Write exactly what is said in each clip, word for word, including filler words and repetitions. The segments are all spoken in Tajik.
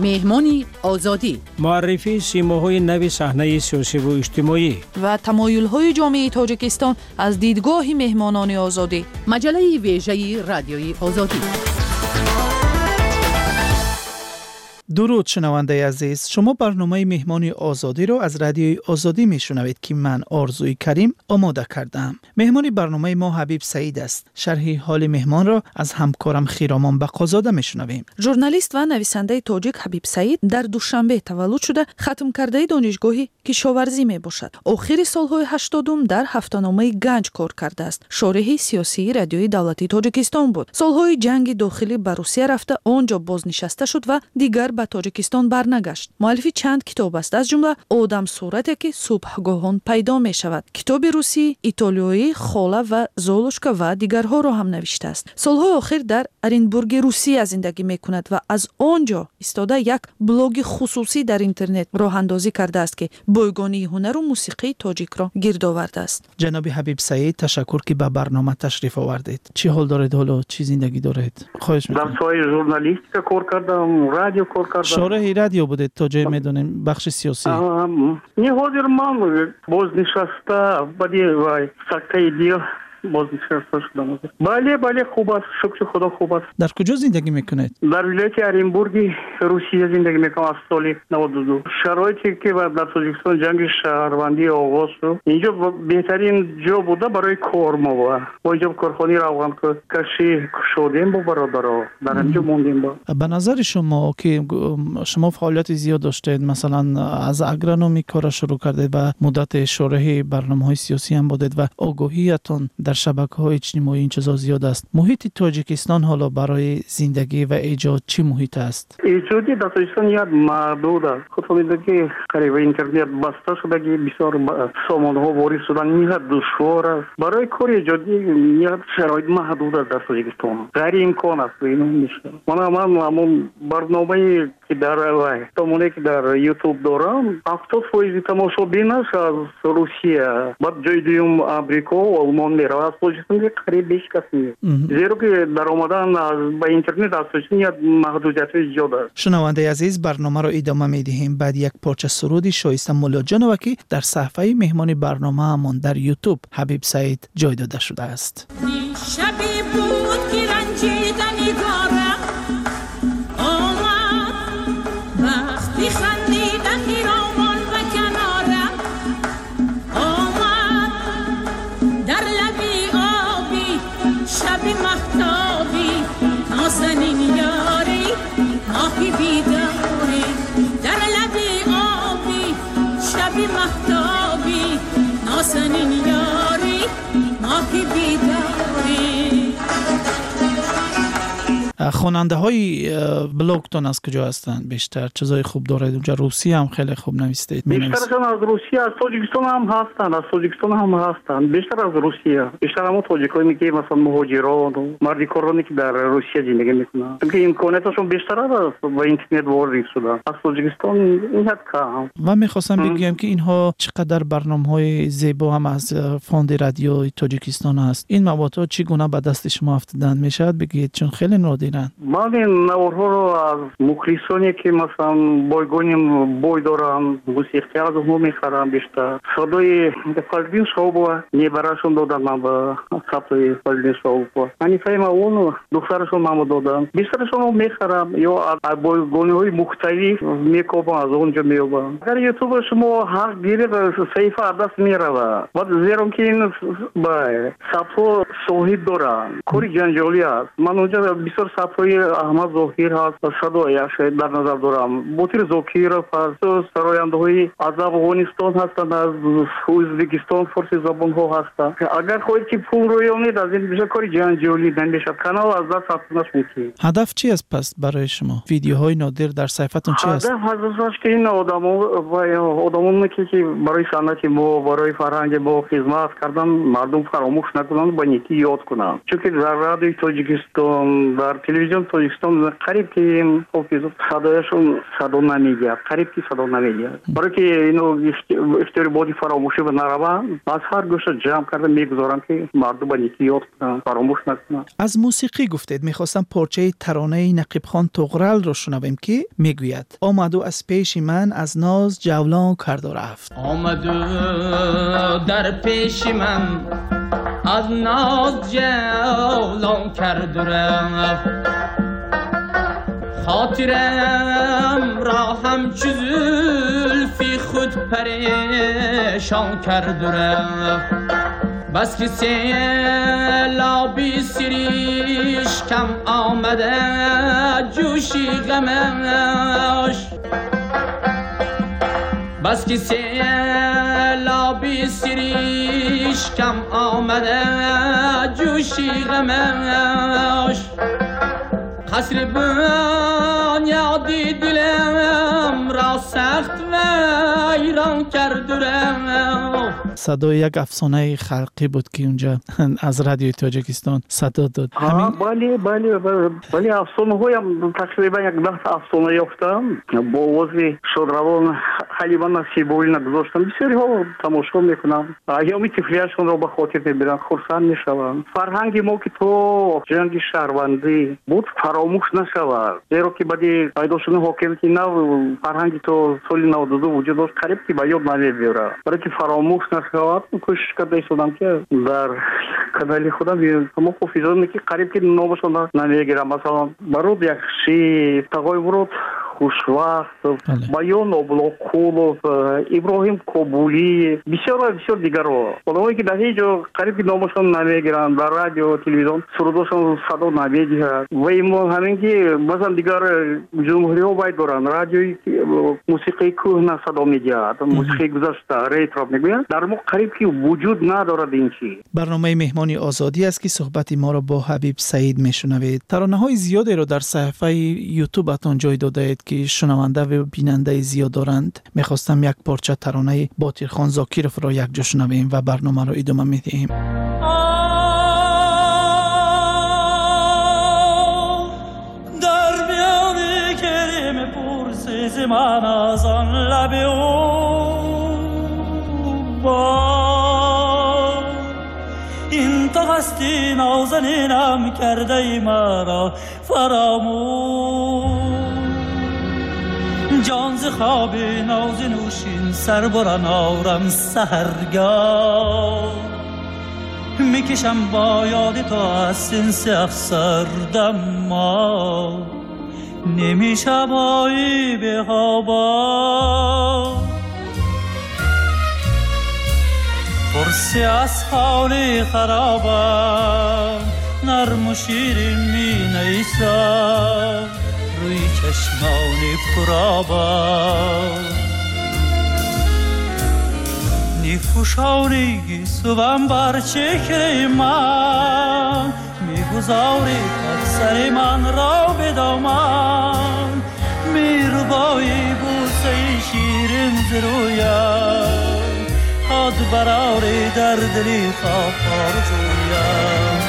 Меҳмони Озодӣ. Муаррифии симоҳои нави саҳнаи сиёсиву иҷтимоӣ ва тамоюлҳои ҷомеаи Тоҷикистон аз дидгоҳи меҳмонони Озодӣ. Маҷаллаи вежаи Радиои Озодӣ. Дуруд, шунавандаи азиз. Шумо барномаи Меҳмони Озодиро аз Радиои Озодӣ мешунавед, ки ман, Орзуи Карим, омода кардаам. Меҳмони барномаи мо Ҳабиб Саид аст. Шарҳи ҳоли меҳмонро аз ҳамкорам Хиромон Бақозода мешунавем. Журналист ва нависандаи тоҷик Ҳабиб Саид дар Душанбе таваллуд шуда, хатмкардаи донишгоҳи кишоварзӣ мебошад. Охири солҳои ҳаштодум дар ҳафтаномаи Ганҷ кор кардааст. Шореҳи сиёсии Радиои давлатии Тоҷикистон буд. Солҳои ҷанги дохилӣ ба Русия рафта, он ҷо бознишаста шуд ва дигар ба Тоҷикистон барнагашт. Муаллифи чанд китоб аст, аз ҷумла Одамсурате, ки субҳгоҳон пайдо мешавад, китоби русӣ, итолиёӣ Хола ва Золушка ва дигарҳоро ҳам навиштааст. Солҳои охир дар Оренбурги Русия зиндагӣ мекунад ва аз он ҷо истода як блоги хусусӣ дар интернет роҳандозӣ кардааст, ки бойгонии ҳунару мусиқии тоҷикро гирд овардааст. Ҷаноби Ҳабиб Саид, ташаккур, ки ба барнома ташриф овардед. Чӣ ҳол доред ҳоло? Чӣ зиндагӣ доред? Хоҳиш мекунам. Дар соҳаи журналистика кор кардам, радио кор кардам. Шореҳи радио будед, то ҷое медонем, бахши сиёсӣ. Не, ҳозир ман бознишаста, баъди вай сактаи дил бознишаста шудам. Бале, бале, хуб аст, шукри Худо, хуб аст. Дар куҷо зиндагӣ мекунед? Дар вилояти Оренбурги Русия зиндагӣ мекунам аз соли наваду ду. Шароите ки дар Тоҷикистон ҷанги шаҳрвандӣ оғоз шуд, инҷо беҳтарин ҷо буда барои кор. Мо бо инҷо корхонаи равғанкашӣ кушодем бо бародаро, дар ҳаминҷо мондем. Ба назари шумо, ки шумо фаъолияти зиёд доштед, масалан аз агрономӣ кора шурӯъ кардед ва муддати шореҳи барномаҳои сиёсӣ ҳам будед ва огоҳиятон дар шабакаҳои иҷтимоӣ ин чизо зиёд аст. Муҳити Тоҷикистон ҳоло барои зиндагӣ ва эҷод чӣ муҳит аст? Эҷодӣ дар Тоҷикистон як маҳдуд аст. Худтон медонед, ки қариб интернет баста шудагӣ, бисёр сомонаҳо ворид шудан ниҳоят душвор аст. Барои кори эҷодӣ ниҳоят шароит маҳдуд аст дар Тоҷикистон, ғайриимкон аст. Мана ман ҳамон барномае ки дар сомонае ки дар Ютуб дорам, ҳафтод фоизи тамошобинаш аз Русия, баъд ҷои дуюм Амрико, Олмон меравад. Аз Тоҷикистон қариб ҳеҷ кас нест, зеро ки даромадан ба интернет аз Тоҷикистон як маҳдудиятҳои зиёд аст. Шунавандаи азиз, барномаро идома медиҳем баъд як порча суруди Шоиста Муллоҷонова, ки дар саҳифаи меҳмони барномаамон дар Ютуб Ҳабиб Саид ҷой дода шудааст. Шабе буд, ки ранҷида нигорам омад, вақти хандида хиромон ба канорам омад, дар лаби оби шаби маҳтобӣ нозанин ёри моҳи бедорӣ, дар лаби оби шаби маҳтобӣ нозанин ёри моҳи бедорӣ. Хонандаҳои блогтон аз куҷо ҳастанд бештар? Чизои хуб доред онҷо? Русия ҳам хеле хуб навистед. Бештарашон аз Русия, аз Тоҷикистон ҳам ҳастанд, аз Тоҷикистон ҳам ҳастанд. Бештар аз Русия. Бештар ҳамон тоҷиконе, ки масалан муҳоҷирон, мардикороне, ки дар Русия зиндагӣ мекунанд, чунки имконияташон бештар аст ба интернет ворид шудан. Аз Тоҷикистон ниҳоят кам. Ва мехостам бигӯям, ки инҳо чӣ қадар барномаҳои зебо ҳам аз фонди радиои Тоҷикистон аст. Ин маводҳо чӣ гуна ба дасти шумо афтидан мешавад, бигӯед, чун хеле нодиранд. Ман ин наворҳоро аз мухлисоне, ки масалан бойгони бой доранд, мусиқӣ аз онҳо мехарам бештар. Садои Фазлиддин Шаҳобова небарашон доданд ман ба сабти Фазлиддин Шаҳобова. Ҳанифаи Мавлонова духтарашон манро доданд. Бештарашонро мехарам ё аз бойгониҳои мухталиф мекобам, аз он ҷо меёбам. Агар ютуба шумо ҳақ гиред, саҳифа аз даст меравад. Баъд зеро ки ин сабтҳо соҳиб доранд, кори ҷанҷолӣ аст. Ман онҷо бисёр сабтҳои Аҳмад Зоҳир ҳаст, садояш дар назар дорам, Ботир Зокиров ҳаст, сарояндаҳои аз Афғонистон ҳастанд, аз Ӯзбекистон форси забонҳо ҳастанд. Агар хоҳед, ки пул рӯёнед, аз ин бисёр кори ҷанҷолӣ намешавад, канал аз даст рафтанаш мумкин. Ҳадаф чи аст пас барои шумо? Видеоҳои нодир дар саҳифатон чи аст? Ҳадаф аз ки ин одамо одамоне, ки барои санъати мо, барои фарҳанги мо хизмат кардан, мардум фаромӯш накунанд, ба некӣ ёд кунанд. Чунки дар Радиои Тоҷикистон, дар Телевизион Тоҷикистон қариб ки ҳофиз садояшон садо намедиҳад, қариб ки садо намедиҳад. Барои ки ино ихтиёри боди фаромӯшӣ ба нараванд, аз ҳар гӯша ҷамъ карда мегузорам, ки мардум ба некӣ ёд кунанд, фаромӯш накунанд. Аз мусиқӣ гуфтед, мехостам порчаи таронаи Нақибхон Туғралро шунавем, ки мегӯяд: омаду аз пеши ман аз ноз ҷавлон карду рафт. Омаду дар пеши ман аз ноз ҷавлон карду рафт, хотирам ро ҳамчу зулфи худ парешон карду рафт. Бас ки селоби сиришкам омада ҷӯши ғамаш, бас ки селоби сиришкам омада ҷӯши ғамаш, қасри бунёди дилам ро сахт вайрон карду рафт. Садои як афсонаи халқӣ буд, ки унҷа аз радиои Тоҷикистон садо дод. Бале, бале, бале, афсонаҳоям тақрибан як даҳ афсона ёфтам. Бо овози шодравон Ҳалима Насибуллина гузоштам. Бисёриҳо тамошо мекунанд, айёми тифлияшонро ба хотир мебиранд, хурсанд мешаванд. Фарҳанги мо, ки то ҷанги шаҳрвандӣ буд, фаромӯш нашавад, зеро ки баъди пайдо шудани ҳокимияти нав фарҳанги то соли наваду ду вуҷуд дошт, қариб ки ба ёд намебиёрад. Барои ки фаромӯш нашавад, кӯшиш карда истодам, ки дар канали худам ҳамон ҳофизоне, ки қариб ки номашон намегирам, масалан Барод Яхшӣ, Тағои Мурод Хушвақт, Баён Облоқулов, Иброҳим Кобулӣ, бисёр ва бисёр дигарро. Одамое, ки дар ҳеҷ ҷо қариб ки номашон намегиранд, дар радио, телевизион сурудошон садо намедиҳад. Ва имо ҳамин ки масалан дигар ҷумҳуриҳо бай доранд, радиои мусиқии кӯҳна садо медиҳад, мусиқии гузашта, ретро мегӯянд. Дар мо қариб ки вуҷуд надорад ин чиз. Барномаи Меҳмони Озодӣ аст, ки суҳбати моро бо Ҳабиб Саид мешунавед. Таронаҳои зиёдеро дар саҳифаи ютубатон ҷой додаед, ки шунаванда ва бинандаи зиёд доранд. Мехостам як порча таронаи Ботирхон Зокировро якҷо шунавем ва барномаро идома медиҳем. Дар миёни гирем пурсизи ман аз он лаби ӯ ин то ҳасти нозанинам кардаи маро фаромӯш, جان ز خواب ناز نوشین سر برن آرم سحرگاه، میکشم با یاد تو از سنس افسردم ما نمیشم آیی به هوا، پرسی از حال خرابم نرم و شیرین می نیسم روی چشمان پرآبم، نیفوشانی گیسوم بر چهره من، میگذاری تا سر من را به دامن، میربایی بوسه شیرین ز رویم، هاد براری در دلی خواب آرزویم.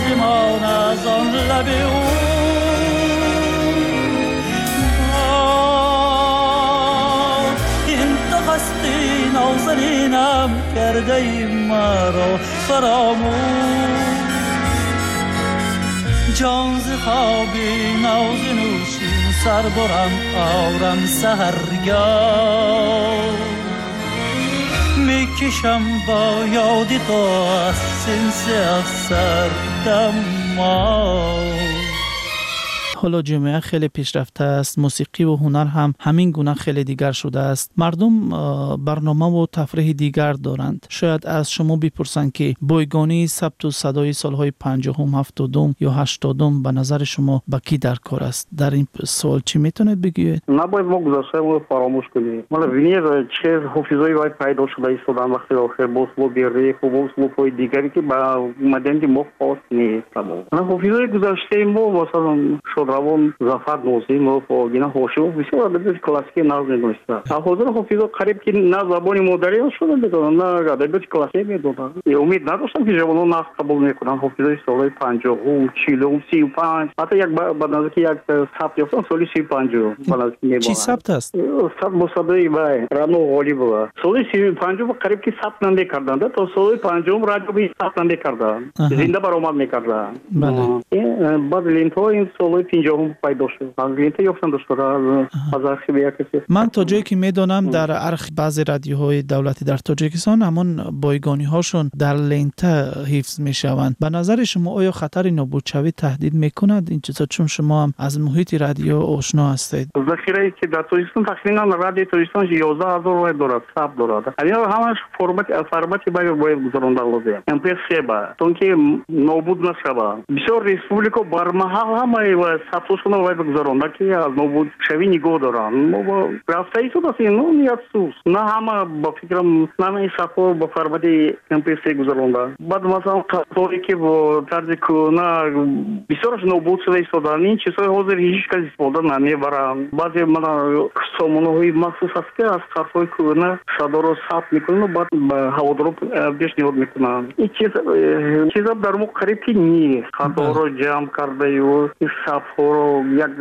زمان از آن لب او این تو هستی نازنینم کرده ای مرا فراموش، جان ز خوابی ناز نوشین سر برم آرم سحرگاه، میکشم با یاد تو از سنس افسردم ما. ҳоло ҷомеа хеле пешрафта аст, мусиқӣ ва ҳунар ҳам ҳамин гуна хеле дигар шудааст. Мардум барномаву тафриҳи дигар доранд. Шояд аз шумо бипурсанд, ки бойгонии сабту садои солҳои панҷоҳум, ҳафтодум ё ҳаштодум ба назари шумо ба кӣ дар кор аст? Дар ин суол чӣ метавонед бигӯед? Набояд мо гузаштаро фаромӯш кунем. Мана бинед, чӣ ҳофизои вай пайдо шуда истоданд вақти охир, бо услуби реп ва бо услубҳои дигаре, ки ба маданияти мо хос нест. Ҳофизои гузаштаи мо, масалан, шодравон Зафар Нозимов, Огина Ҳошимов бисёр адабиёти классикӣ нағз медонистанд. Ҳозир ҳофизо қариб ки на забони модарӣ шуда медонанд, на адабиёти классикӣ медонанд. Умед надоштам, ки ҷавонон нағз қабул мекунанд ҳофизои солҳои панҷоҳум, чилум, сию панҷ. Ҳатто як ба наздики як сабт ёфтам соли сию панҷум. Ба наздики мебонам. Чӣ сабт аст? Сабт бо садои вай Рано Ғолибова. Соли сию панҷум қариб ки сабт намекарданд, то соли панҷум радио сабт намекарданд, зинда баромад мекарданд. Баъд лентҳо ин солҳои панҷоҳум пайдо шуд. Аз лента ёфтам дошта аз архиви як касе. Ман то ҷое ки медонам, дар архив баъзе радиоҳои давлатӣ дар Тоҷикистон ҳамон бойгониҳошон дар лента ҳифз мешаванд. Ба назари шумо оё хатари нобудшавӣ таҳдид мекунад ин чизо, чун шумо ҳам аз муҳити радио ошно ҳастед? Захирае ки дар Тоҷикистон тахминан радиои Тоҷикистон ёздаҳ ҳазор вай дорад, сабт дорад. Ҳамин ҳамаш формати формати бояд гузаронда лозим. эм пэ се ба, то ки нобуд нашавад. Бисёр республика бармаҳал ҳамаи сабтҳошонро вай бигузаронда, ки аз нобудшавӣ нигоҳ доранд. Мо рафта истодааст, ну афсӯс, на ҳама ба фикрам на ҳамаи сабтҳо ба формати эм пэ се гузаронда. Баъд масалан қаторе ки бо тарзи кӯҳна бисёраш нобуд шуда истодаанд. Ин чизҳои ҳозир ҳеҷ кас истифода намебаранд. Баъзе мана сомонаҳои махсус аст, ки аз ҳарфҳои кӯҳна садоро сабт мекунанд, баъд ба ҳаводоро пешниҳод мекунанд. Ин чиз чиза дар мо қариб ки нест. Садоро ҷамъ кардаю сабтҳоро як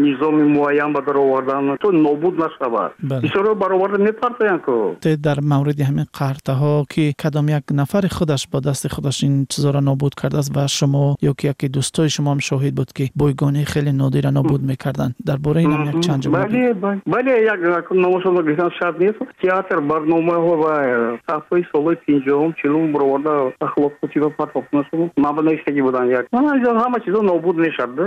низоми муайян ба дар овардан, то нобуд нашавад. Бисёрро бароварда мепартоянд ку. Дар мавриди ҳамин қартаҳо ки кадом як нафари худаш бо дасти худаш ин чизоро нобуд кардааст ва шумо ё ки яке дӯстои шумо ҳам шоҳид буд, ки бойгонии хеле нодира нобуд мекарданд, дар бораи ин ҳам як чанд ҷумла. Бале, бале, як номашонро гирифтан шарт нест. Театр барномаҳо ва сафҳои солҳои панҷоҳум, чилум бароварда ахлоқхутиба партофтанашон мабнавиштагӣ буданд. Як ҳама чизо нобуд мешавад,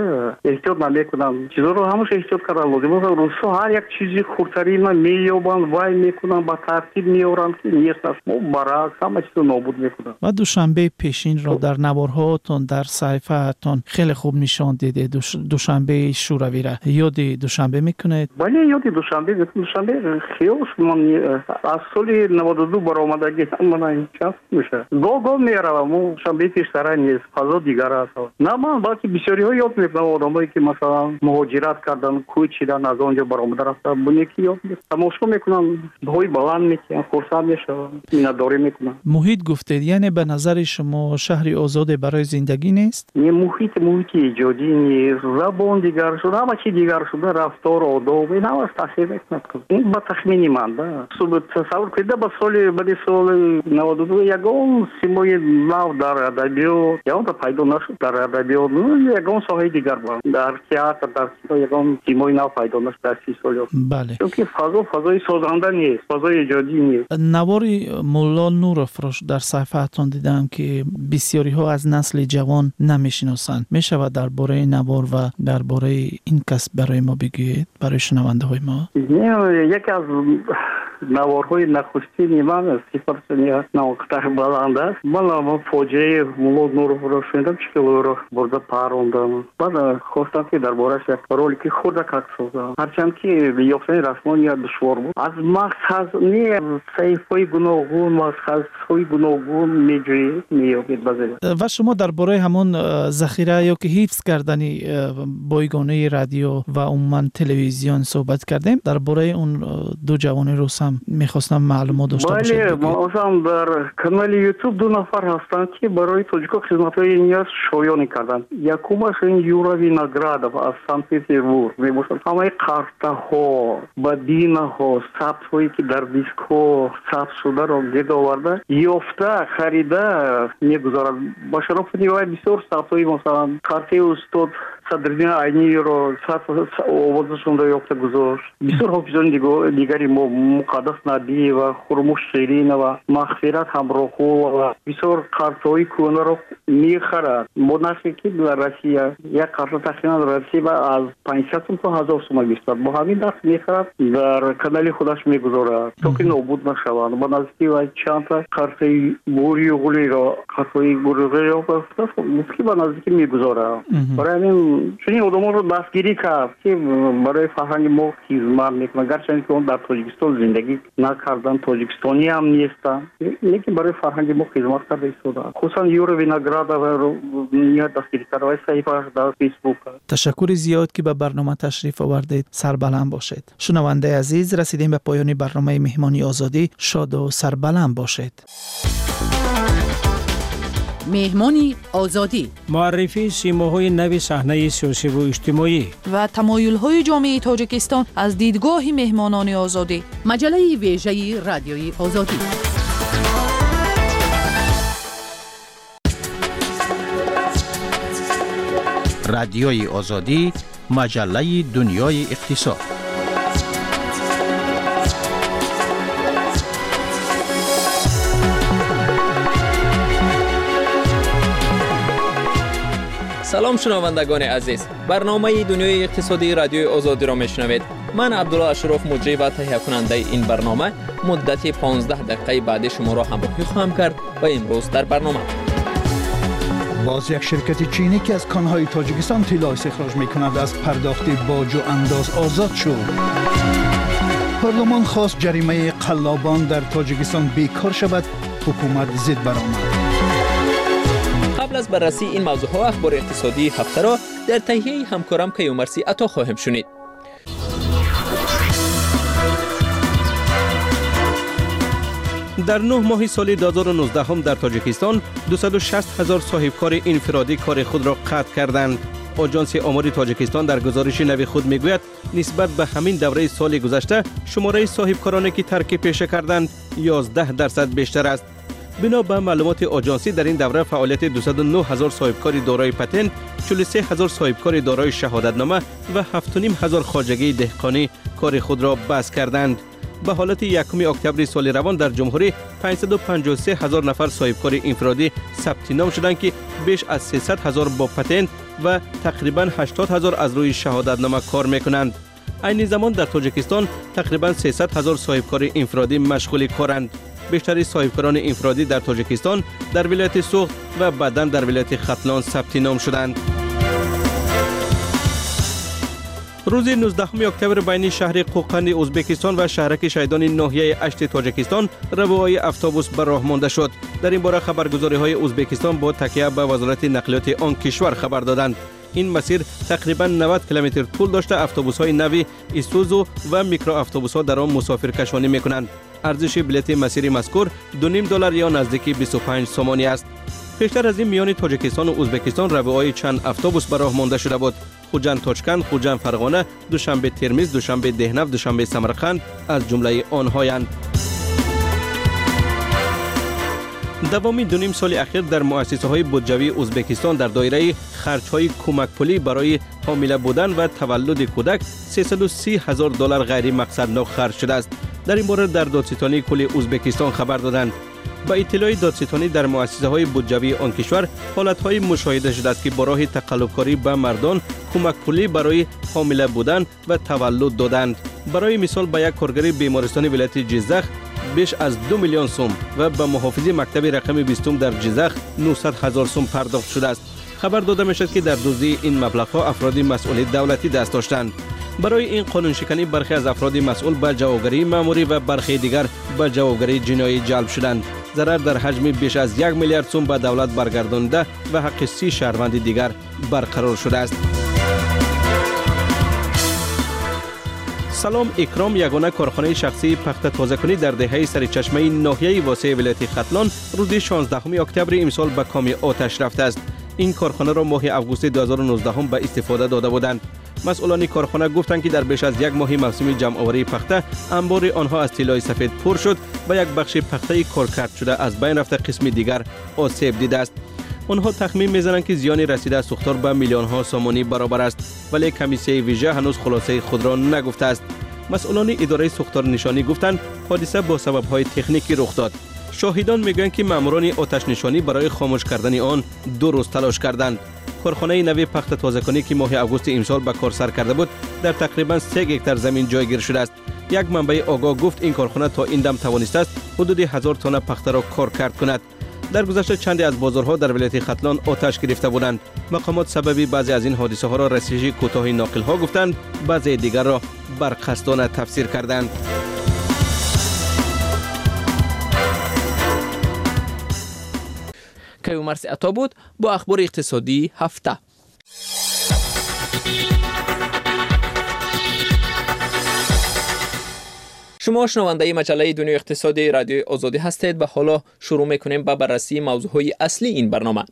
эҳтиёт намекунанд. Чизоро ҳамаша эҳтиёт кардан лозим. Русҳо ҳар як чизи хурдтарина меёбанд, вай мекунанд, ба тартиб меоранд, ки нест аст. Мо баръакс ҳама чизо нобуд мекунанд. Ва Душанбеи пешинро дар наворҳоатон, дар саҳифаатон хеле хуб нишон дидед. Душанбеи Шӯравиро ёди Душанбе мекунед? Бале, ёди Душанбе мекунам. Душанбе хиёл ман аз соли наваду ду баромадагӣ мана чанд мешавад. Гоҳ-гоҳ меравам, Душанбеи пештара нест, фазо дигар аст. На ман, балки бисёриҳо ёд мекунам, одамое ки масалан муҳоҷират карданд, кӯчидан, аз он ҷо баромада рафтанд, бунеки ёд тамошо мекунанд, баҳои баланд мекунанд, хурсанд мешаванд, миннатдорӣ мекунанд. Муҳит гуфтед, яъне ба назари шумо шаҳри озоде барои зиндагӣ нест? Не, муҳит муҳити эҷодӣ нест, забон дигар шуда, ҳама чи дигар шуда, рафтор, одоб, ин ҳамаш таъсир мекунад. Ин ба тахмини ман, да. Тасаввур кунед, ба соли баъди соли наваду ду ягон симои нав дар адабиёт ягонта пайдо нашуд. Дар адабиёт ягон соҳаи дигар, дар театр, дар кино ягон симои нав пайдо нашуд дар си соли. Бале, чунки фазо фазои созанда нест, фазои эҷодӣ нест. Навори Мулло Нуровро дар саҳифаатон дидам, ки бисёриҳо аз насли ҷавон намешиносанд. Мешавад дар бораи навор ва дар бораи ин кас барои мо бигӯед, барои шунавандаҳои мо? Яке аз наворҳои нахустини ман сифаташ навқтар баланд аст. Ман фоҷиаи Мулло Нуровро шунидам, чӣ хел ӯро бурда парондам. Баъд хостам, ки дар борааш як ролики хурдакак созам. Ҳарчанд ки ёфтани расмония душвор буд. Аз мақсад не, саҳифаҳои гуногун, мақсадҳои гуногун меҷӯед, меёбед баъзе. Ва шумо дар бораи ҳамон захира ё ки ҳифз кардани бойгонаи радио ва умуман телевизион суҳбат кардем. Дар бораи он ду ҷавони рус ҳам мехостам маълумот дошта бошед. Бале, масалан дар канали YouTube ду нафар ҳастанд, ки барои тоҷико хизматҳои ниёз шоёнӣ карданд. Якумаш ин Юра Виноградов аз Санкт-Петербург мебошад. Ҳамаи қартаҳо, бабинаҳо, сабтҳое ки дар дискҳо сабт шударо гирд оварда, ёфта, харида мегузорад. Ба шарофати вай бисёр сабтҳои, масалан, қартаи устод Садриддин Айниро овозашонро ёфта гузошт. Бисёр ҳофизони дигари мо, Муқаддас Набиева, Хурмуш Ширинова, Мағфират Ҳамроҳулова бисёр қартҳои кӯҳнаро мехарад. Бо нархе ки дар Россия як қарта тахминан дар Россия аз панҷсад сум то ҳазор сума гирифтад. Бо ҳамин нарх мехарад, дар канали худаш мегузорад, то ки нобуд нашаванд. Ба наздики вай чандта қартаи Гурюғлиро, қартҳои Гурюғлиро гуфт, ки ба наздики мегузорад. Барои ҳамин чунин одамонро дастгирӣ кард, ки барои фарҳанги мо хизмат мекунанд. Гарчанде ки он дар Тоҷикистон зиндагӣ накарданд, тоҷикистонӣ ҳам нестанд, лекин барои фарҳанги мо хизмат карда истодаанд. Хусусан Юра Виноградов Ниҳоят дастгирӣ карда ва саҳифааш дар Фейсбук. Ташаккури зиёд, ки ба барнома ташриф овардед. Сарбаланд бошед. Шунавандаи азиз, расидем ба поёни барномаи Меҳмони Озодӣ. Шоду сарбаланд бошед. Меҳмони Озодӣ: муаррифии симоҳои нави саҳнаи сиёсиву иҷтимоӣ ва тамоюлҳои ҷомеаи Тоҷикистон аз дидгоҳи меҳмонони Озодӣ. Маҷаллаи вежаи Радиои Озодӣ. Радиои Озодӣ, маҷаллаи дунёи иқтисод. Салом, шунавандагони азиз. Барномаи дунёи иқтисодии Радиои Озодиро мешунавед. Ман Абдулло Ашроф, муҷрӣ ва таҳиякунандаи ин барнома, муддати понздаҳ дақиқаи баъди шуморо ҳамроҳӣ хоҳам кард ва имрӯз дар барнома боз як ширкати чинӣ, ки аз конҳои Тоҷикистон тилло истихроҷ мекунад, аз пардохти боҷу андоз озод шуд. Парлумон хост ҷаримаи қаллобон дар Тоҷикистон бекор шавад, ҳукумат зид баромад. Қабл аз баррасии ин мавзӯъҳо, ахбори иқтисодии ҳафтаро дар таҳияи ҳамкорам Каюмарси Ато хоҳем шунид. Дар нӯҳ моҳи соли ду ҳазору нуздаҳум дар Тоҷикистон дусаду шаст ҳазор соҳибкори инфиродӣ кори худро қатъ карданд. Оҷонси омори Тоҷикистон дар гузориши нави худ мегӯяд, нисбат ба ҳамин давраи соли гузашта шумораи соҳибкороне, ки тарки пеша карданд, ёздаҳ дарсад бештар аст. Бино ба маълумоти оҷонсӣ, дар ин давра фаъолияти дусаду нӯҳ ҳазор соҳибкори дорои патент, чилу се ҳазор соҳибкори дорои шаҳодатнома ва ҳафту ним ҳазор хоҷагии деҳқонӣ кори худро бас карданд. Ба ҳолати якуми октябри соли равон дар ҷумҳурӣ панҷсаду панҷоҳу се ҳазор нафар соҳибкори инфиродӣ сабти ном шуданд, ки беш аз сесад ҳазор бо патент ва тақрибан ҳаштод ҳазор аз рӯи шаҳодатнома кор мекунанд. Айни замон дар Тоҷикистон тақрибан сесад ҳазор соҳибкори инфиродӣ машғули коранд. Бештари соҳибкорони инфиродӣ дар Тоҷикистон дар вилояти Суғд ва баъдан дар вилояти Хатлон сабти ном шуданд. Рӯзи нуздаҳуми октябр байни шаҳри Қӯқанди Ӯзбекистон ва шаҳраки Шайдони ноҳияи Ашти Тоҷикистон равои автобус ба роҳ монда шуд. Дар ин бора хабаргузориҳои Ӯзбекистон бо такя ба вазорати нақлиёти он кишвар хабар доданд. Ин масир тақрибан навад километр тӯл дошта, автобусҳои нави Исузу ва микроавтобусҳо дар он мусофиркашонӣ мекунанд. Арзиши билети масири мазкур ду ним доллар ё наздики бисту панҷ сомонӣ аст. Пештар аз ин миёни Тоҷикистону Ӯзбекистон равои чанд автобус ба роҳ монда шуда буд. Хуҷанд Тошканд, Хуҷанд Фарғона, Душанбе Термиз, Душанбе Деҳнав, Душанбе Самарқанд аз ҷумлаи онҳоянд. Давоми дуним соли ахир дар муассисаҳои буҷавии Ӯзбекистон дар доираи харҷҳои кӯмакпулӣ барои ҳомила будан ва таваллуди кӯдак сесаду си ҳазор доллар ғайримақсаднок харҷ шудааст. Дар ин бора дар додситонии кулли Ӯзбекистон хабар доданд. Ба иттилои додситонӣ, дар муассисаҳои буҷавии он кишвар ҳолатҳое мушоҳида шудааст, ки бо роҳи тақаллубкорӣ ба мардон кӯмакпулӣ барои ҳомила будан ва таваллуд доданд. Барои мисол, ба як коргари бемористони вилояти Ҷиззах беш аз ду миллион сум ва ба муҳофизи мактаби рақами бистум дар Ҷиззах нӯҳсад ҳазор сум пардохт шудааст. Хабар дода мешавад, ки дар дуздии ин маблағҳо афроди масъули давлатӣ даст доштанд. Барои ин қонуншиканӣ бархе аз афроди масъул ба ҷавобгарии маъмурӣ ва бархе дигар ба ҷавобгарии ҷиноӣ ҷалб шуданд. Зарар дар ҳаҷми беш аз як миллиард сум ба давлат баргардонида ва ҳаққи си шаҳрванди дигар барқарор шудааст. Салом Икром, ягона корхонаи шахсии пахта тозакунӣ дар деҳаи Саричашмаи ноҳияи Восеи вилояти Хатлон, рӯзи шонздаҳуми октябри имсол ба коми оташ рафтааст. Ин корхонаро моҳи августи ду ҳазору нуздаҳум ба истифода дода буданд. Масъулони корхона гуфтанд, ки дар беш аз як моҳи мавсими ҷамъоварии пахта анбори онҳо аз тиллои сафед пур шуд ва як бахши пахтаи коркард шуда аз байн рафта, қисми дигар осеб дидааст. Онҳо тахмин мезананд, ки зиёни расида аз сӯхтор ба миллионҳо сомонӣ баробар аст, вале комиссияи вижа ҳанӯз хулосаи худро нагуфтааст. Масъулони идораи сӯхторнишонӣ гуфтанд, ҳодиса бо сабабҳои техникӣ рух дод. Шоҳидон мегӯянд, ки маъмурони оташнишонӣ барои хомӯш кардани он ду рӯз талош карданд. Корхонаи нави пахта тозакунӣ, ки моҳи августи имсол ба кор сар карда буд, дар тақрибан се гектар замин ҷойгир шудааст. Як манбаи огоҳ гуфт, ин корхона то ин дам тавонистааст ҳудуди ҳазор тонна пахтаро коркард кунад. Дар гузашта чанде аз бозорҳо дар вилояти Хатлон оташ гирифта буданд. Мақомот сабаби баъзе аз ин ҳодисаҳоро расиши кӯтоҳи ноқилҳо гуфтанд, баъзеи дигарро барқасдона тафсир карданд. Каюмарс Ато буд бо ахбори иқтисодии ҳафта. Шумо шунавандаи маҷаллаи дунёи иқтисодии радиои Озодӣ ҳастед ва ҳоло шурӯъ мекунем ба баррасии мавзӯъҳои аслии ин барнома.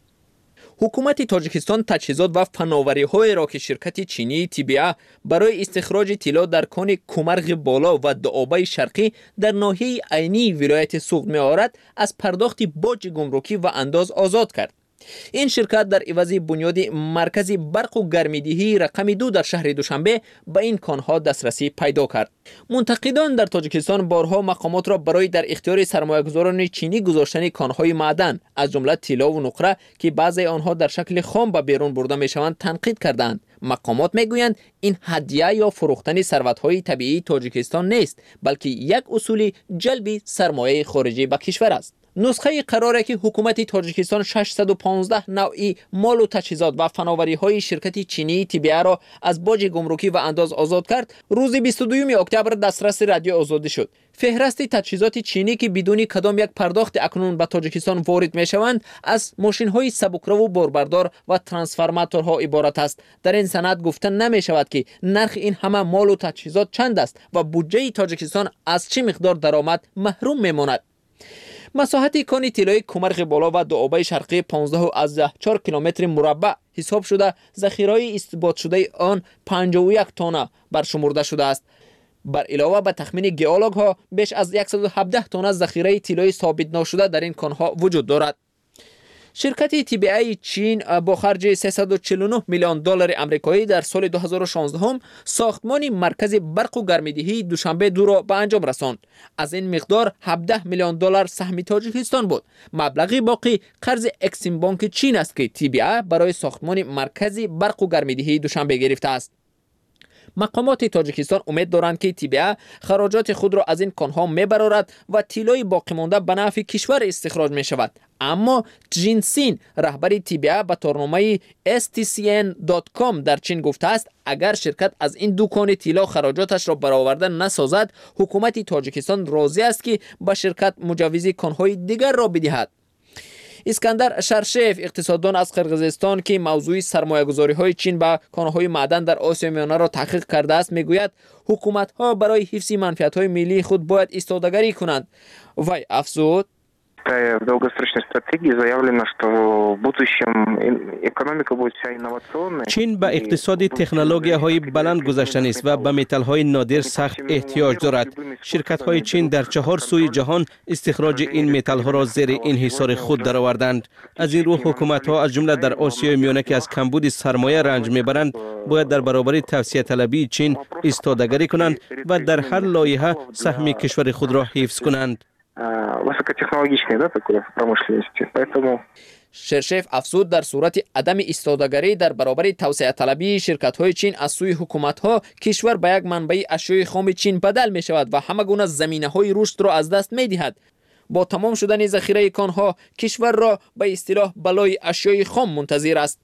Ҳукумати Тоҷикистон таҷҳизот ва фановариҳоеро, ки ширкати чинии Т Б А барои истихроҷи тилло дар кони Кумарғи Боло ва Дуобаи Шарқӣ дар ноҳияи Айнии вилояти Суғд меорад, аз пардохти боҷи гумрукӣ ва андоз озод кард. Ин ширкат дар ивази бунёди маркази барқу гармидиҳии рақами ду дар шаҳри Душанбе ба ин конҳо дастрасӣ пайдо кард. Мунтақидон дар Тоҷикистон борҳо мақомотро барои дар ихтиёри сармоягузорони чинӣ гузоштани конҳои маъдан, аз ҷумла тиллову нуқра, ки баъзеи онҳо дар шакли хом ба берун бурда мешаванд, танқид кардаанд. Мақомот мегӯянд, ин ҳадя ё фурӯхтани сарватҳои табиии Тоҷикистон нест, балки як усули ҷалби сармояи хориҷӣ ба кишвар аст. Нусхаи қароре, ки ҳукумати Тоҷикистон шашсаду понздаҳ навъи молу таҷҳизот ва фановариҳои ширкати чинии Т Б Аро аз боҷи гумрукӣ ва андоз озод кард, рӯзи бисту дуюми октябр дастраси Радиои Озодӣ шуд. Феҳрасти таҷҳизоти чинӣ, ки бидуни кадом як пардохти акнун ба Тоҷикистон ворид мешаванд, аз мошинҳои сабукраву борбардор ва трансформаторҳо иборат аст. Дар ин санад гуфта намешавад, ки нархи ин ҳама молу таҷҳизот чанд аст ва буҷаи Тоҷикистон аз чӣ миқдор даромад маҳрум мемонад. Масоҳати кони тиллои Кумарғи Боло ва Дуобаи Шарқӣ понздаҳ чор километри мураббаъ ҳисоб шуда, захираҳои исботшудаи он панҷоҳу як тонна баршумурда шудааст. Бар илова, ба тахмини геологҳо, беш аз яксаду ҳабдаҳ тонна захираи тиллои собитношуда дар ин конҳо вуҷуд дорад. Ширкати Т Б Аи Чин бо харҷи сесаду чилу нӯҳ миллион доллари амрикоӣ дар соли ду ҳазору шонздаҳум сохтмони маркази барқу гармидиҳии Душанбе дуро ба анҷом расонд. Аз ин миқдор ҳабдаҳ миллион доллар саҳми Тоҷикистон буд. Маблағи боқӣ қарзи Эксимбонки Чин аст, ки Т Б А барои сохтмони маркази барқу гармидиҳии Душанбе гирифтааст. Мақомоти Тоҷикистон умед доранд, ки Т Б А хароҷоти худро аз ин конҳо мебарорад ва тиллои боқимонда ба нафъи кишвар истихроҷ мешавад. Аммо Ҷинсин, раҳбари Т Б А, ба торномаи S T C N com дар Чин гуфтааст, агар ширкат аз ин ду кони тилло хароҷоташро бароварда насозад, ҳукумати Тоҷикистон розӣ аст, ки ба ширкат муҷаввизи конҳои дигарро бидиҳад. Искандар Шаршеев, иқтисоддон аз Қирғизистон, ки мавзӯи сармоягузориҳои Чин ба конҳои маъдан дар Осиёи Миёнаро таҳқиқ кардааст, мегӯяд, ҳукуматҳо барои ҳифзи манфиатҳои миллии худ бояд истодагарӣ кунанд. Вай афзуд: В долгосрочной стратегии заявлено, что в будущем экономика будет вся инновационной. Чин ба иқтисоди технологияҳои баланд гузаштанист ва ба металлҳои нодир сахт эҳтиёҷ дорад. Ширкатҳои чин дар чаҳор сӯи ҷаҳон истихроҷи ин металлҳоро зери инҳисори худ дароварданд. Аз ин рӯ ҳукуматҳо, аз ҷумла дар Осиёи Миёна, ки аз камбуди сармоя ранҷ мебаранд, бояд дар баробари тавсеаталабии Чин истодагарӣ кунанд ва дар ҳар лоиҳа саҳми кишвари худро ҳифз кунанд. Высокотехнологичной, да, такой промышленности. Поэтому Шершев афзуд, дар сурати адами истодагарӣ дар баробари тавсеаталабии ширкатҳои чин аз сӯи ҳукуматҳо, кишвар ба як манбаи ашёи хоми Чин бадал мешавад ва ҳама гуна заминаҳои рушдро аз даст медиҳад. Бо тамом шудани захираи конҳо кишварро ба истилоҳ балои ашёи хом мунтазир аст.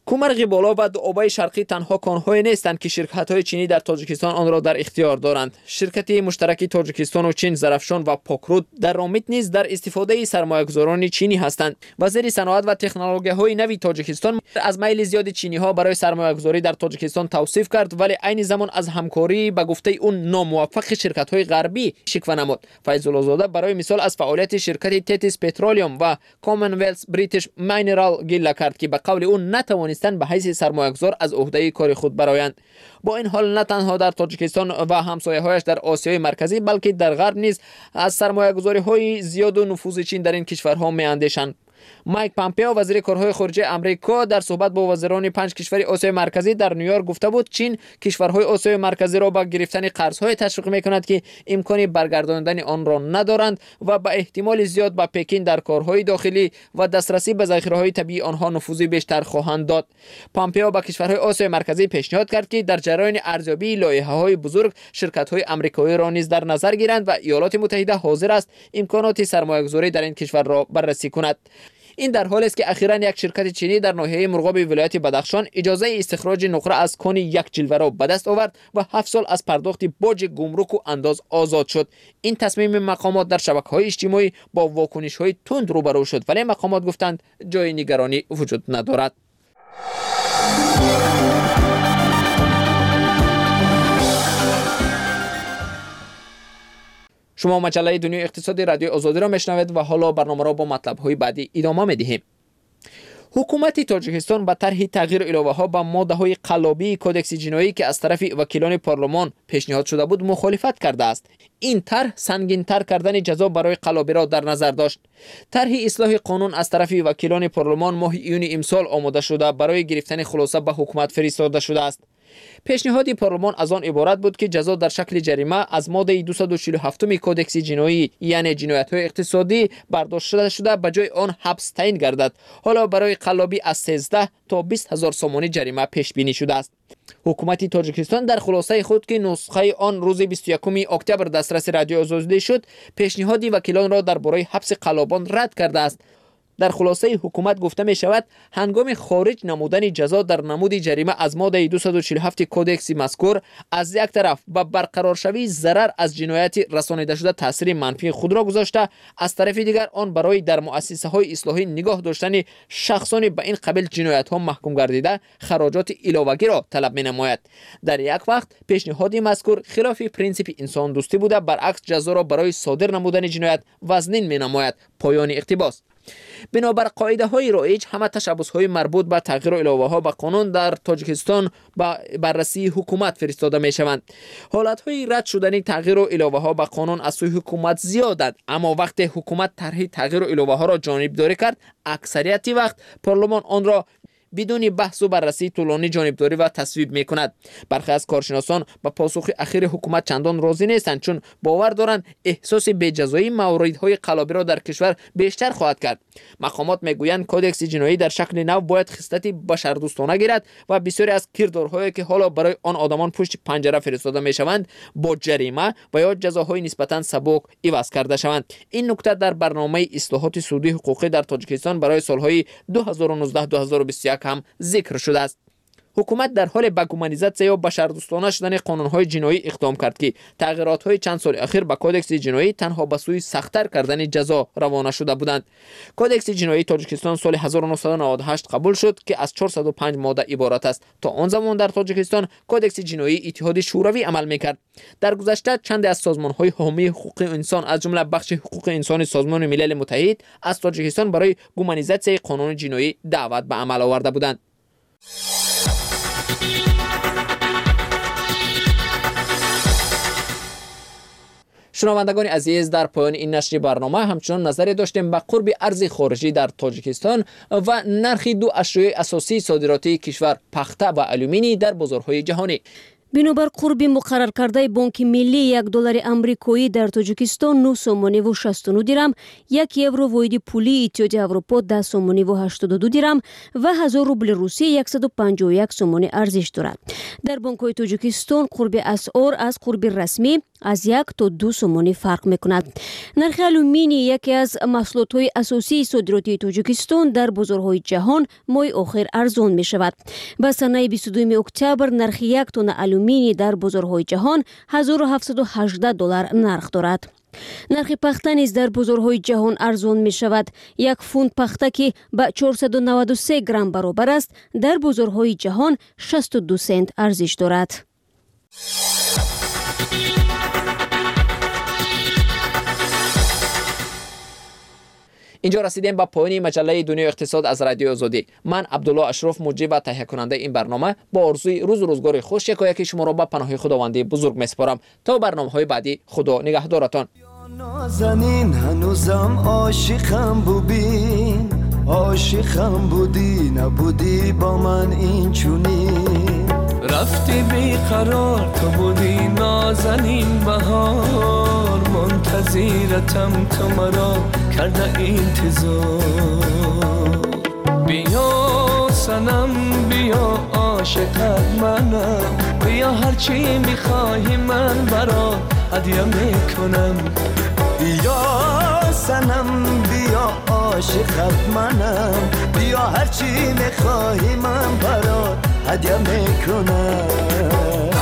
Кумарғи Боло ва Дуобаи Шарқӣ танҳо конҳое нестанд, ки ширкатҳои чинӣ дар Тоҷикистон онро дар ихтиёр доранд. Ширкати муштараки Тоҷикистону Чин «Зарафшон» ва «Покруд» дар Ромит низ дар истифодаи сармоягузорони чинӣ ҳастанд. Вазири саноат ва технологияҳои нави Тоҷикистон аз майли зиёди чиниҳо барои сармоягузорӣ дар Тоҷикистон тавсиф кард, вале айни замон аз ҳамкории, ба гуфтаи ӯ, номуваффақи ширкатҳои ғарбӣ шиква намуд. Файзуллозода барои мисол аз фаъолияти ширкати Tethys Petroleum ва Commonwealth British Mineral гилла кард, ки ба қавли ӯ натавонистанд ба ҳайси сармоягузор аз ӯҳдаи кори худ бароянд. Бо ин ҳол, на танҳо дар Тоҷикистон ва ҳамсояҳояш дар Осиёи Марказӣ, балки дар Ғарб низ аз сармоягузориҳои зиёду нуфузи Чин дар ин кишварҳо меандешанд. Майк Помпео, вазири корҳои хориҷаи Амрико, дар суҳбат бо вазирони панҷ кишвари Осиёи Марказӣ дар Ню-Йорк гуфта буд, Чин кишварҳои Осиёи Марказиро ба гирифтани қарзҳое ташвиқ мекунад, ки имкони баргардондани онро надоранд ва ба эҳтимоли зиёд ба Пекин дар корҳои дохилӣ ва дастрасӣ ба захираҳои табиии онҳо нуфузи бештар хоҳанд дод. Помпео ба кишварҳои Осиёи Марказӣ пешниҳод кард, ки дар ҷараёни арзёбии лоиҳаҳои бузург ширкатҳои амрикоиро низ дар назар гиранд ва Иёлоти Муттаҳида ҳозир аст имконоти сармоягузорӣ дар ин кишварро баррасӣ кунад. Ин дар ҳоле аст ки ахиран як ширкати чинӣ дар ноҳияи Мурғоби вилояти Бадахшон иҷозаи истихроҷи нуқра аз кони як ҷилваро ба даст овард ва ҳафт сол аз пардохти боҷи гумруку андоз озод шуд. Ин тасмими мақомот дар шабакаҳои иҷтимоӣ бо вокунишҳои тунд рӯбарӯ шуд, вале мақомот гуфтанд ҷои нигаронӣ вуҷуд надорад. Шумо маҷаллаи дунёи иқтисоди радиои Озодиро мешунавед ва ҳоло барномаро бо матлабҳои баъдӣ идома медиҳем. Ҳукумати Тоҷикистон ба тарҳи тағйиру иловаҳо ба моддаҳои қаллобии кодекси ҷиноӣ, ки аз тарафи вакилони парлумон пешниҳод шуда буд, мухолифат кардааст. Ин тарҳ сангинтар кардани ҷазо барои қаллобиро дар назар дошт. Тарҳи ислоҳи қонун аз тарафи вакилони парлумон моҳи июни имсол омода шуда, барои гирифтани хулоса ба ҳукумат фиристода шудааст. Пешниҳоди парлумон аз он иборат буд, ки ҷазо дар шакли ҷарима аз моддаи дусаду чилу ҳафтуми кодекси ҷиноӣ, яъне ҷиноятҳои иқтисодӣ, бардошта шуда, ба ҷои он ҳабс таъин гардад. Ҳоло барои қаллобӣ аз сездаҳ то бист ҳазор сомонӣ ҷарима пешбинӣ шудааст. Ҳукумати Тоҷикистон дар хулосаи худ, ки нусхаи он рӯзи бисту якуми октябр дастраси радиои Озодӣ шуд, пешниҳоди вакилонро дар бораи ҳабси қаллобон рад кардааст. Дар хулосаи ҳукумат гуфта мешавад, ҳангоми хориҷ намудани ҷазо дар намуди ҷарима аз моддаи дусаду чилу ҳафти кодекси мазкур аз як тараф ба барқароршавии зарар аз ҷинояти расонидашуда таъсири манфии худро гузошта, аз тарафи дигар он барои дар муассисаҳои ислоҳӣ нигоҳ доштани шахсони ба ин қабил ҷиноятҳо маҳкум гардида хароҷоти иловагиро талаб менамояд. Дар як вақт пешниҳоди мазкур хилофи принсипи инсондӯстӣ буда, баръакс ҷазоро барои содир намудани ҷиноят вазнин менамояд. Поёни иқтибос. Бинобар қоидаҳои роиҷ, ҳама ташаббусҳои марбут ба тағйиру иловаҳо ба қонун дар Тоҷикистон ба баррасии ҳукумат фиристода мешаванд. Ҳолатҳои рад шудани тағйиру иловаҳо ба қонун аз сӯи ҳукумат зиёданд, аммо вақте ҳукумат тарҳи тағйиру иловаҳоро ҷонибдорӣ кард, аксарияти вақт парлумон онро бидуни баҳсу баррасии тӯлонӣ ҷонибдорӣ ва тасвиб мекунад. Бархе аз коршиносон ба посухи ахири ҳукумат чандон розӣ нестанд, чун бовар доранд эҳсоси беҷазоии мавридҳои қаллобиро дар кишвар бештар хоҳад кард. Мақомот мегӯянд кодекси ҷиноӣ дар шакли нав бояд хислати башардӯстона гирад ва бисёре аз кирдорҳое, ки ҳоло барои он одамон пушти панҷара фиристода мешаванд, бо ҷарима ва ё ҷазоҳои нисбатан сабук иваз карда шаванд. Ин нукта дар барномаи ислоҳоти судии ҳуқуқӣ дар Тоҷикистон барои солҳои ду ҳазору нуздаҳ ду ҳазору бисту як ҳам зикр шудааст. Ҳукумат дар ҳоле ба гуманизатсия ё башардӯстона шудани қонунҳои ҷиноӣ иқдом кард, ки тағйиротҳои чанд соли ахир ба кодекси ҷиноӣ танҳо ба сӯи сахттар кардани ҷазо равона шуда буданд. Кодекси ҷиноии Тоҷикистон соли ҳазору нӯҳсаду наваду ҳашт қабул шуд, ки аз чорсаду панҷ модда иборат аст. То он замон дар Тоҷикистон кодекси ҷиноии Иттиҳоди Шӯравӣ амал мекард. Дар гузашта чанде аз созмонҳои ҳомии ҳуқуқи инсон, аз ҷумла бахши ҳуқуқи инсони Созмони Милали Муттаҳид, аз Тоҷикистон барои гуманизатсияи қонуни ҷиноӣ даъват ба амал оварда буданд. Шунавандагони азиз, дар поёни ин нашри барнома ҳамчунон назаре доштем ба қурби арзи хориҷӣ дар Тоҷикистон ва нархи ду ашёи асосии содиротии кишвар пахта ва алюминий дар бозорҳои ҷаҳонӣ. Бинобар қурби муқарраркардаи Бонки Миллӣ, як доллари амрикоӣ дар Тоҷикистон нӯҳ сомониву шасту нӯҳ дирам, як евро воҳиди пулии Иттиҳоди Аврупо даҳ сомониву ҳаштоду ду дирам ва ҳазор рубли Русия яксаду панҷоҳу як сомонӣ арзиш дорад. Дар бонкҳои Тоҷикистон қурби асъор аз қурби расмӣ аз як то ду сомонӣ фарқ мекунад. Нархи алюминий, яке аз маҳсулотҳои асосии содиротии Тоҷикистон, дар бозорҳои ҷаҳон моҳи охир арзон мешавад. Ба санаи бисту дуюми октябр нархи як тонна алюминий дар бозорҳои ҷаҳон ҳазору ҳафтсаду ҳаждаҳ доллар нарх дорад. Нархи пахта низ дар бозорҳои ҷаҳон арзон мешавад. Як фунт пахта, ки ба чорсаду наваду се грамм баробар аст, дар бозорҳои ҷаҳон шасту ду сент арзиш дорад. Инҷо расидем ба поёни маҷаллаи дунёи иқтисод аз радиои Озодӣ. Ман Абдулло Ашроф, муҷрӣ ва таҳиякунандаи ин барнома, бо орзуи рӯзу рӯзгори хуш якояки шуморо ба паноҳи Худованди бузург месупорам. То барномаҳои баъдӣ Худо нигаҳдоратон. نازنین هنوزم عاشقم ببین، عاشقم بودی نبودی با من این چونین، رفتی بیقرار تو بودی نازنین بهار، منتظرتم تو مرا کرده انتظار. بیا صنم بیا عاشقت منم، بیا هرچی میخواهی من برات هدیه میکنم. بیا санам биё ошиқат манам биё ҳарчи мехоҳӣ ман барот ҳадя мекунам.